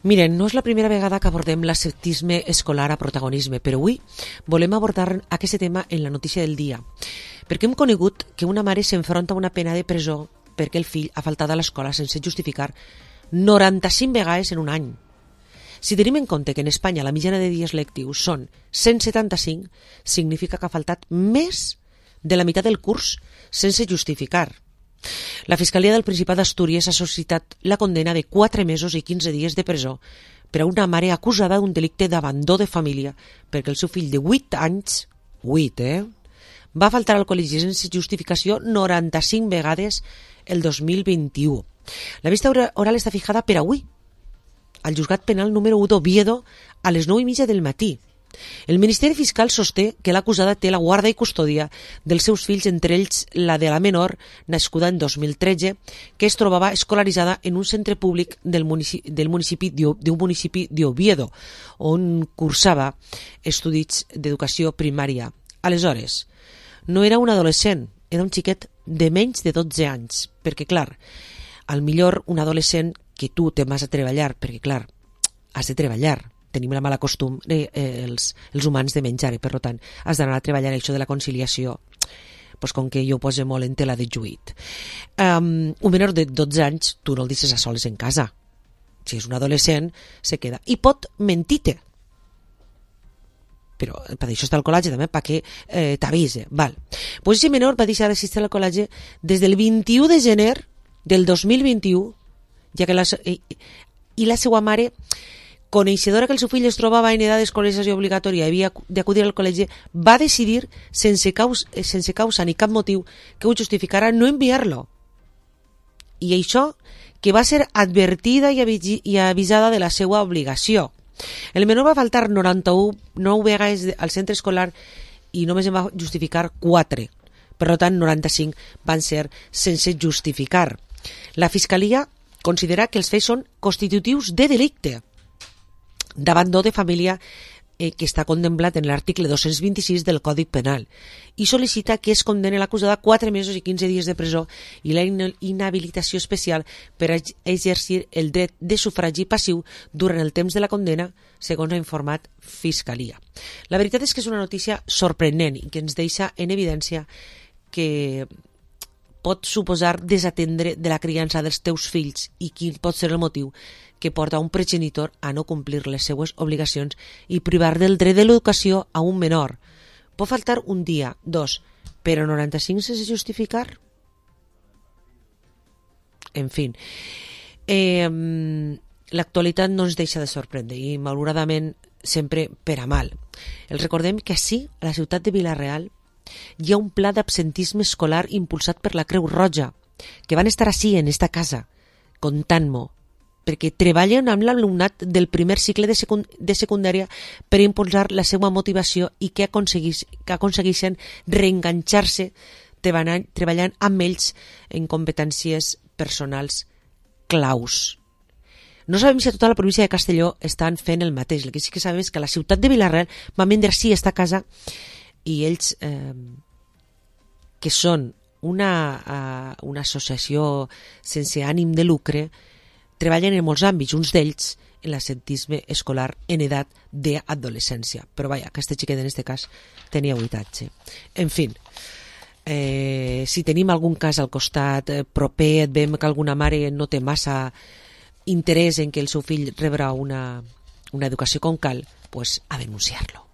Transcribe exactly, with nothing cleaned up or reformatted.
Miren, no és la primera vegada que abordem l'ascetisme escolar a protagonisme, però avui volem abordar aquest tema en la notícia del dia, perquè hem conegut que una mare s'enfronta a una pena de presó perquè el fill ha faltat a l'escola sense justificar noranta-cinc vegades en un any. Si tenim en compte que en Espanya la mitjana de dies lectius són cent setanta-cinc, significa que ha faltat més de la meitat del curs sense justificar. La Fiscalia del Principat d'Astúries ha sol·licitat la condena de quatre mesos i quinze dies de presó per a una mare acusada d'un delicte d'abandó de família perquè el seu fill de vuit anys, vuit, eh, va faltar al col·legi sense justificació noranta-cinc vegades el dos mil vint-i-u. La vista oral està fijada per avui, al juzgat penal número u d'Oviedo a les nou i mitja del matí. El Ministeri Fiscal sosté que l'acusada té la guarda i custòdia dels seus fills, entre ells la de la menor, nascuda en dos mil tretze, que es trobava escolaritzada en un centre públic del municipi, del municipi d'un municipi d'Oviedo, on cursava estudis d'educació primària. Aleshores, no era un adolescent, era un xiquet de menys de dotze anys, perquè, clar, al millor un adolescent que tu te'n vas a treballar, perquè, clar, has de treballar, tenim la mala costum eh, eh, els, els humans de menjar, i per tant has d'anar a treballar. Això de la conciliació, pues, com que jo ho poso molt en tela de juït. Um, un menor de dotze anys tu no el deixes a soles en casa. Si és un adolescent se queda, i pot mentir-te, però per això està el col·legi també, perquè eh, t'avise. Val. Pues aquest menor va deixar d'assistir al col·legi des del vint-i-u de gener del dos mil vint-i-u, ja que la, i, i la seva mare, coneixedora que el seu fill es trobava en edat d'escolarització obligatòria i havia d'acudir al col·legi, va decidir, sense causa, sense causa ni cap motiu que ho justificara, no enviar-lo. I això, que va ser advertida i avisada de la seva obligació. El menor va faltar noranta-nou vegades al centre escolar i només en va justificar quatre. Per tant, noranta-cinc van ser sense justificar. La Fiscalia considera que els fets són constitutius de delicte d'abandó de família eh, que està contemplat en l'article dos-cents vint-i-sis del Codi Penal i sol·licita que es condene l'acusada a quatre mesos i quinze dies de presó i la inhabilitació especial per a exercir el dret de sufragi passiu durant el temps de la condena, segons ha informat Fiscalia. La veritat és que és una notícia sorprenent i que ens deixa en evidència que pot suposar desatendre de la criança dels teus fills i quin pot ser el motiu que porta un progenitor a no complir les seues obligacions i privar del dret de l'educació a un menor. Pot faltar un dia, dos, però noranta-cinc sense justificar? En fi, eh, l'actualitat no ens deixa de sorprendre i malauradament sempre per a mal. Els recordem que així, a la ciutat de Vila-real, hi ha un pla d'absentisme escolar impulsat per la Creu Roja, que van estar així en esta casa, contant-m'ho, perquè treballen amb l'alumnat del primer cicle de, secund de secundària per impulsar la seva motivació i que, aconseguís, que aconsegueixen reenganxar-se treballant, treballant amb ells en competències personals claus. No sabem si a tota la província de Castelló estan fent el mateix. El que sí que sabem és que a la ciutat de Vila-real van vendre sí esta casa i ells, eh, que són una, uh, una associació sense ànim de lucre, treballen en molts àmbits, uns d'ells en l'ascetisme escolar en edat d'adolescència. Però vaja, aquest xiquet en aquest cas tenia vuit anys. En fi, eh, si tenim algun cas al costat eh, proper, et veiem que alguna mare no té massa interès en que el seu fill rebrà una, una educació com cal, pues a denunciar-lo.